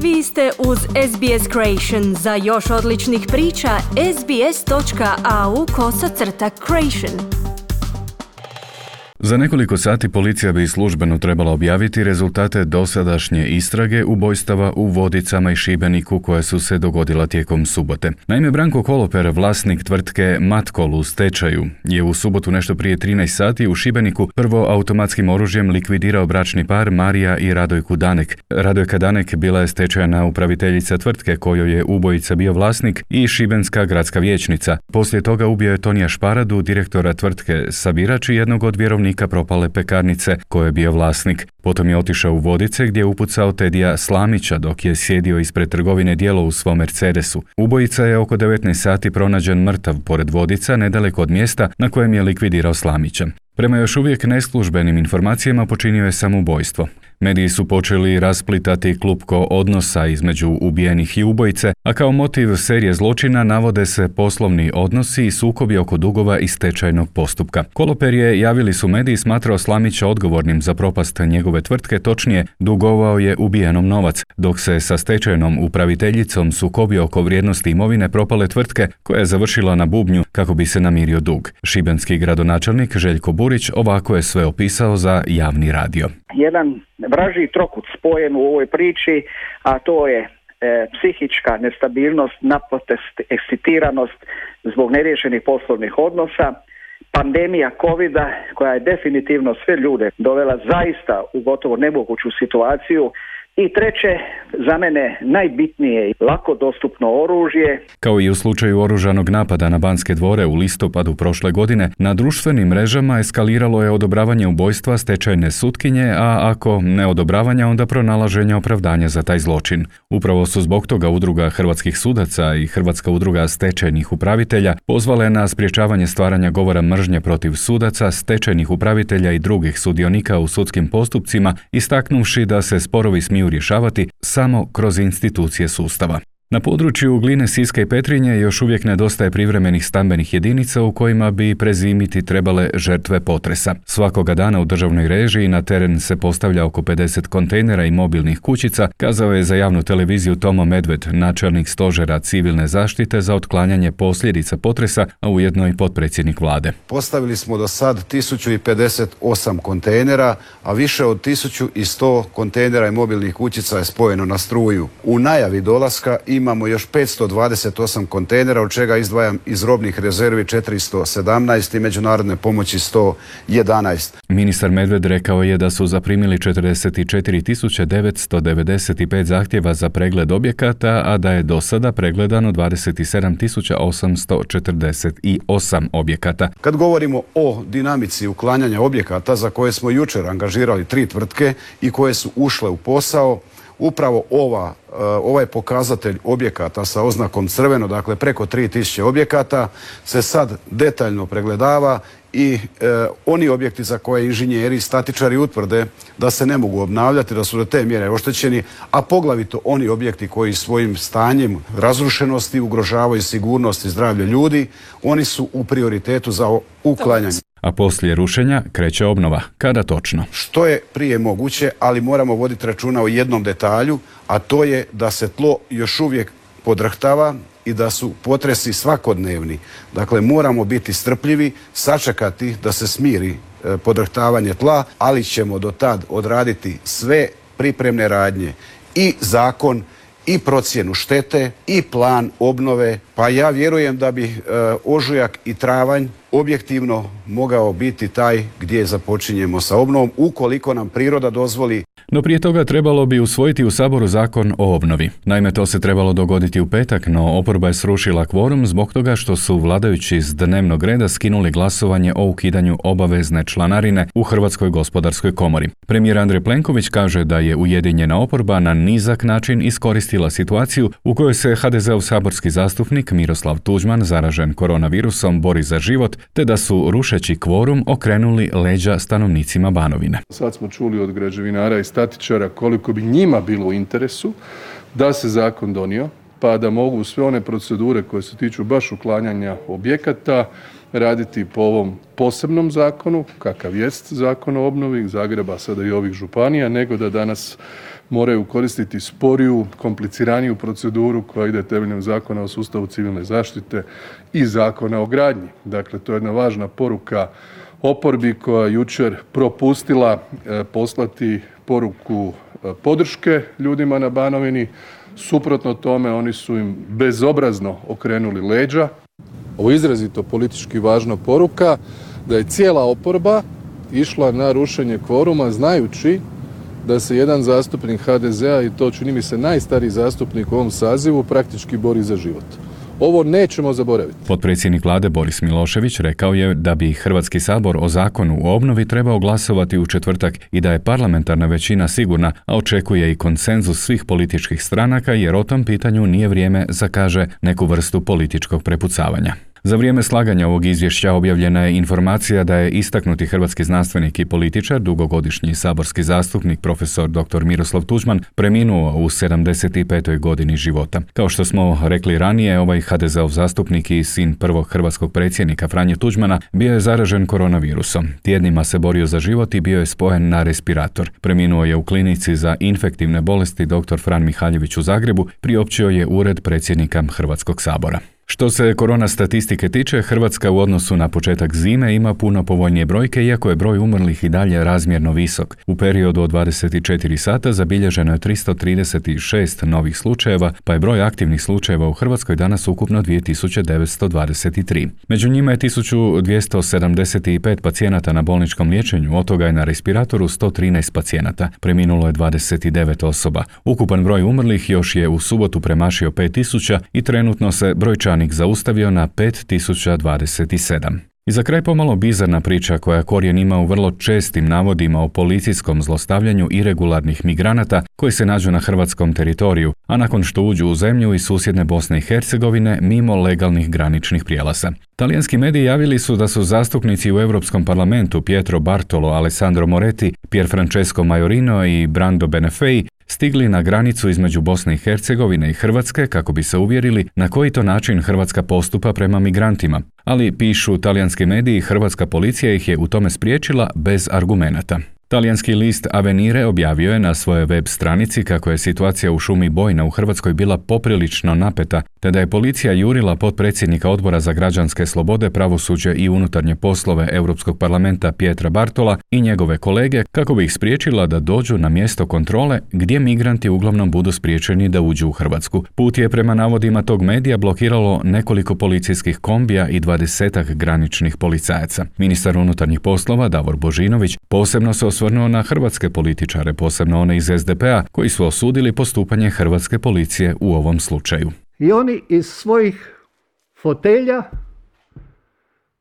Vi ste uz SBS Creation. Za još odličnih priča, sbs.au/creation. Za nekoliko sati policija bi službeno trebala objaviti rezultate dosadašnje istrage ubojstava u Vodicama i Šibeniku koje su se dogodila tijekom subote. Naime, Branko Koloper, vlasnik tvrtke Matkol u stečaju, je u subotu nešto prije 13 sati u Šibeniku prvo automatskim oružjem likvidirao bračni par Marija i Radojku Danek. Radojka Danek bila je stečajna upraviteljica tvrtke kojoj je ubojica bio vlasnik i šibenska gradska vijećnica. Poslije toga ubio je Tonija Šparadu, direktora tvrtke Sabirač i jednog od vjerovnika propale pekarnice koje je bio vlasnik. Potom je otišao u Vodice gdje je upucao Tedija Slamića dok je sjedio ispred trgovine Djelo u svom Mercedesu. Ubojica je oko 19 sati pronađen mrtav pored Vodica, nedaleko od mjesta na kojem je likvidirao Slamića. Prema još uvijek neslužbenim informacijama počinio je samoubojstvo. Mediji su počeli rasplitati klupko odnosa između ubijenih i ubojice, a kao motiv serije zločina navode se poslovni odnosi i sukobi oko dugova i stečajnog postupka. Koloper je, javili su mediji, smatrao Slamića odgovornim za propast njegove tvrtke, točnije dugovao je ubijenom novac, dok se sa stečajnom upraviteljicom sukobio oko vrijednosti imovine propale tvrtke koja je završila na bubnju kako bi se namirio dug. Šibenski gradonačelnik Željko Burić ovako je sve opisao za javni radio. Jedan vražji trokut spojen u ovoj priči, a to je psihička nestabilnost, napetost, ekscitiranost zbog neriješenih poslovnih odnosa, pandemija covida koja je definitivno sve ljude dovela zaista u gotovo nemoguću situaciju. I treće, za mene najbitnije, lako dostupno oružje. Kao i u slučaju oružanog napada na Banske dvore u listopadu prošle godine, na društvenim mrežama eskaliralo je odobravanje ubojstva stečajne sutkinje, a ako ne odobravanja, onda pronalaženja opravdanja za taj zločin. Upravo su zbog toga Udruga hrvatskih sudaca i Hrvatska udruga stečajnih upravitelja pozvale na sprječavanje stvaranja govora mržnje protiv sudaca, stečajnih upravitelja i drugih sudionika u sudskim postupcima, istaknuvši da se sporovi smiju rješavati samo kroz institucije sustava. Na području Gline, Siska i Petrinje još uvijek nedostaje privremenih stambenih jedinica u kojima bi prezimiti trebale žrtve potresa. Svakoga dana u državnoj režiji na teren se postavlja oko 50 kontejnera i mobilnih kućica, kazao je za javnu televiziju Tomo Medved, načelnik stožera civilne zaštite za otklanjanje posljedica potresa, a ujedno i potpredsjednik vlade. Postavili smo do sad 1058 kontejnera, a više od 1100 kontejnera i mobilnih kućica je spojeno na struju. U najavi dolaska imamo još 528 kontejnera, od čega izdvajam iz robnih rezervi 417 i međunarodne pomoći 111. Ministar Medved rekao je da su zaprimili 44.995 zahtjeva za pregled objekata, a da je do sada pregledano 27.848 objekata. Kad govorimo o dinamici uklanjanja objekata za koje smo jučer angažirali 3 tvrtke i koje su ušle u posao, upravo ovaj pokazatelj objekata sa oznakom crveno, dakle preko 3000 objekata, se sad detaljno pregledava i oni objekti za koje inženjeri i statičari utvrde da se ne mogu obnavljati, da su do te mjere oštećeni, a poglavito oni objekti koji svojim stanjem razrušenosti ugrožavaju sigurnost i zdravlje ljudi, oni su u prioritetu za uklanjanje. A poslije rušenja kreće obnova. Kada točno? Što je prije moguće, ali moramo voditi računa o jednom detalju, a to je da se tlo još uvijek podrhtava i da su potresi svakodnevni. Dakle, moramo biti strpljivi, sačekati da se smiri podrhtavanje tla, ali ćemo do tad odraditi sve pripremne radnje i zakon, i procjenu štete, i plan obnove. Pa ja vjerujem da bi ožujak i travanj objektivno mogao biti taj gdje započinjemo sa obnovom, ukoliko nam priroda dozvoli. No prije toga trebalo bi usvojiti u Saboru zakon o obnovi. Naime, to se trebalo dogoditi u petak, no oporba je srušila kvorum zbog toga što su vladajući s dnevnog reda skinuli glasovanje o ukidanju obavezne članarine u Hrvatskoj gospodarskoj komori. Premijer Andrej Plenković kaže da je ujedinjena oporba na nizak način iskoristila situaciju u kojoj se HDZ-ov saborski zastupnik Miroslav Tuđman, zaražen koronavirusom, bori za život, te da su rušeći kvorum okrenuli leđa stanovnicima Banovine. Sad smo čuli od građevinara i statičara koliko bi njima bilo u interesu da se zakon donio, pa da mogu sve one procedure koje se tiču baš uklanjanja objekata raditi po ovom posebnom zakonu, kakav jest zakon o obnovi Zagreba, sada i ovih županija, nego da danas moraju koristiti sporiju, kompliciraniju proceduru koja ide temeljem Zakona o sustavu civilne zaštite i Zakona o gradnji. Dakle, to je jedna važna poruka oporbi koja je jučer propustila poslati poruku podrške ljudima na Banovini. Suprotno tome, oni su im bezobrazno okrenuli leđa. Ovo je izrazito politički važna poruka da je cijela oporba išla na rušenje kvoruma znajući da se jedan zastupnik HDZ-a, i to čini mi se najstariji zastupnik u ovom sazivu, praktički bori za život. Ovo nećemo zaboraviti. Potpredsjednik vlade Boris Milošević rekao je da bi Hrvatski sabor o zakonu o obnovi trebao glasovati u četvrtak i da je parlamentarna većina sigurna, a očekuje i konsenzus svih političkih stranaka jer o tom pitanju nije vrijeme za, kaže, neku vrstu političkog prepucavanja. Za vrijeme slaganja ovog izvješća objavljena je informacija da je istaknuti hrvatski znanstvenik i političar, dugogodišnji saborski zastupnik profesor dr. Miroslav Tuđman, preminuo u 75. godini života. Kao što smo rekli ranije, ovaj HDZ-ov zastupnik i sin prvog hrvatskog predsjednika Franje Tuđmana bio je zaražen koronavirusom. Tjednima se borio za život i bio je spojen na respirator. Preminuo je u klinici za infektivne bolesti dr. Fran Mihaljević u Zagrebu, priopćio je Ured predsjednika Hrvatskog sabora. Što se korona statistike tiče, Hrvatska u odnosu na početak zime ima puno povoljnije brojke, iako je broj umrlih i dalje razmjerno visok. U periodu od 24 sata zabilježeno je 336 novih slučajeva, pa je broj aktivnih slučajeva u Hrvatskoj danas ukupno 2923. Među njima je 1275 pacijenata na bolničkom liječenju, od toga je na respiratoru 113 pacijenata. Preminulo je 29 osoba. Ukupan broj umrlih još je u subotu premašio 5000 i trenutno se brojčanik zaustavio na 5027. I za kraj pomalo bizarna priča koja korijen ima u vrlo čestim navodima o policijskom zlostavljanju iregularnih migranata koji se nađu na hrvatskom teritoriju, a nakon što uđu u zemlju iz susjedne Bosne i Hercegovine mimo legalnih graničnih prijelaza. Talijanski mediji javili su da su zastupnici u Europskom parlamentu Pietro Bartolo, Alessandro Moretti, Pierfrancesco Majorino i Brando Benefei stigli na granicu između Bosne i Hercegovine i Hrvatske kako bi se uvjerili na koji to način Hrvatska postupa prema migrantima. Ali, pišu talijanski mediji, hrvatska policija ih je u tome spriječila bez argumenata. Talijanski list Avvenire objavio je na svojoj web stranici kako je situacija u šumi Bojna u Hrvatskoj bila poprilično napeta, te da je policija jurila potpredsjednika Odbora za građanske slobode, pravosuđe i unutarnje poslove Europskog parlamenta Pietra Bartola i njegove kolege kako bi ih spriječila da dođu na mjesto kontrole gdje migranti uglavnom budu spriječeni da uđu u Hrvatsku. Put je prema navodima tog medija blokiralo nekoliko policijskih kombija i 20 graničnih policajaca. Ministar unutarnjih poslova Davor Božinović posebno se osvrnuo na hrvatske političare, posebno one iz SDP-a, koji su osudili postupanje hrvatske policije u ovom slučaju. I oni iz svojih fotelja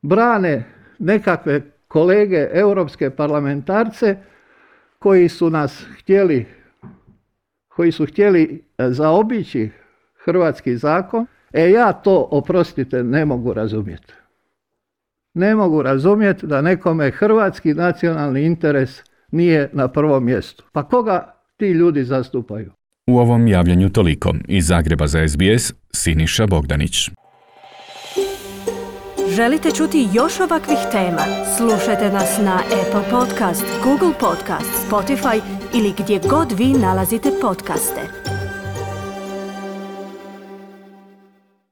brane nekakve kolege europske parlamentarce koji su htjeli zaobići hrvatski zakon. Ja to, oprostite, ne mogu razumjeti. Ne mogu razumjeti da nekome hrvatski nacionalni interes nije na prvom mjestu. Pa koga ti ljudi zastupaju? U ovom javljanju toliko. Iz Zagreba za SBS, Siniša Bogdanić. Želite čuti još ovakvih tema? Slušajte nas na Apple Podcast, Google Podcast, Spotify ili gdje god vi nalazite podcaste.